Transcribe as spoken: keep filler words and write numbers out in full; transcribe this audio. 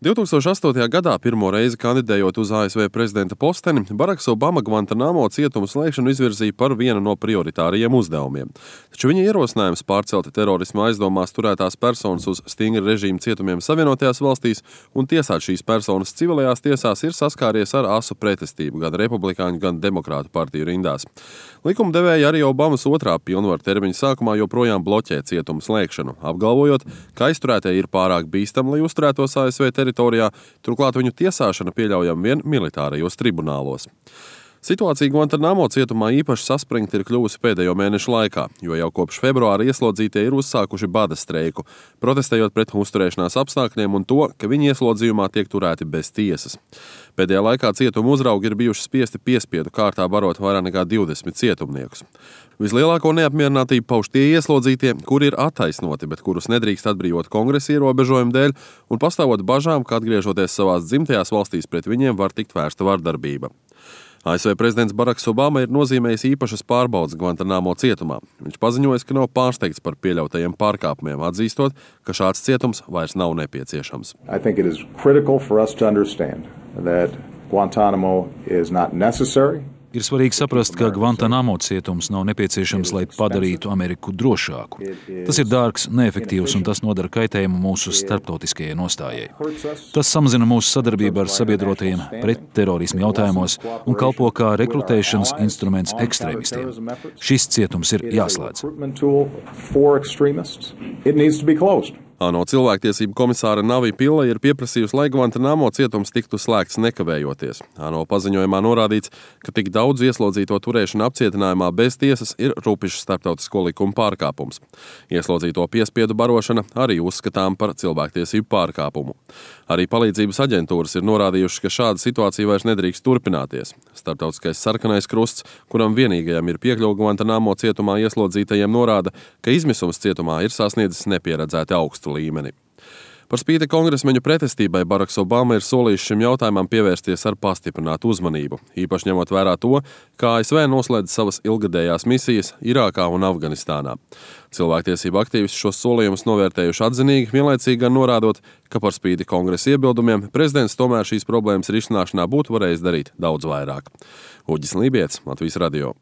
divtūkstoš astotajā gadā pirmo reizi kandidējot uz A S V prezidenta posteni, Baraks Obama Guantanamo cietumu slēgšanu izvirzīja par vienu no prioritārajiem uzdevumiem. Taču viņa ierosinājums pārcelt terorisma aizdomās turētās personas uz stingra režīma cietumiem Savienotajās valstīs un tiesāt šīs personas civilajās tiesās ir saskāries ar asu pretestību gan republikāņu, gan demokrātu partiju rindās. Likumdevēji arī Obamas otrā pilnvaru termiņa sākumā joprojām bloķē cietumu slēgšanu, apgalvojot, ka aizturētie ir pārāk bīstami, lai uzturētos A S V teritorijā, turklāt viņu tiesāšana pieļaujama vien militārajos tribunālos. Situācija Guantanamo cietumā īpaši saspringta ir kļuvusi pēdējo mēnešu laikā, jo jau kopš februāra ieslodzītie ir uzsākuši bada streiku, protestējot pret uzturēšanās apstākļiem un to, ka viņi ieslodzījumā tiek turēti bez tiesas. Pēdējā laikā cietuma uzraugi ir bijuši spiesti piespiedu kārtā barot vairāk nekā divdesmit cietumniekus. Vislielāko neapmierinātību pauž tie ieslodzītie, kuri ir attaisnoti, bet kurus nedrīkst atbrīvot kongresa ierobežojumu dēļ un pastāvot bažām, ka atgriežoties savās dzimtajās valstīs pret viņiem var tikt vērsta vardarbība. A S V prezidents Baraks Obama ir nozīmējis īpašas pārbaudes Guantanamo cietumā. Viņš paziņojis, ka nav pārsteigts par pieļautajiem pārkāpumiem, atzīstot, ka šāds cietums vairs nav nepieciešams. I think it is critical for us to understand that Guantanamo is not necessary. Ir svarīgi saprast, ka Guantanamo cietums nav nepieciešams, lai padarītu Ameriku drošāku. Tas ir dārgs, neefektīvs un tas nodara kaitējumu mūsu starptautiskajai nostājai. Tas samazina mūsu sadarbību ar sabiedrotajiem pret terorismu jautājumos un kalpo kā rekrutēšanas instruments ekstrēmistiem. Šis cietums ir jāslēdz. ANO cilvēktiesību komisāra Navi Pillay ir pieprasījusi, lai Guantanamo cietums tiktu slēgts nekavējoties. ANO paziņojumā norādīts, ka tik daudz ieslodzīto turēšana apcietinājumā bez tiesas ir rupišs starptautisko likumu pārkāpums. Ieslodzīto piespiedu barošana arī uzskatām par cilvēktiesību pārkāpumu. Arī palīdzības aģentūras ir norādījušas, ka šāda situācija vairs nedrīkst turpināties. Starptautiskais sarkanais krusts, kuram vienīgajam ir piekļuva Guantanamo cietumā ieslodzītajiem, norāda, ka izmisums cietumā ir sasniedzis nepieredzēti augstu līmeni. Par spīti kongresmeņu pretestībai Baraks Obama ir solījis šim jautājumam pievērsties ar pastiprinātu uzmanību, īpaši ņemot vērā to, ka A S V noslēdz savas ilgadējās misijas Irākā un Afganistānā. Cilvēktiesību aktīvisti šos solījumus novērtējuši atzinīgi, vienlaicīgi gan norādot, ka par spīti kongresa iebildumiem prezidents tomēr šīs problēmas risināšanā būtu varējis darīt daudz vairāk. Uģis Lībietis, Latvijas radio.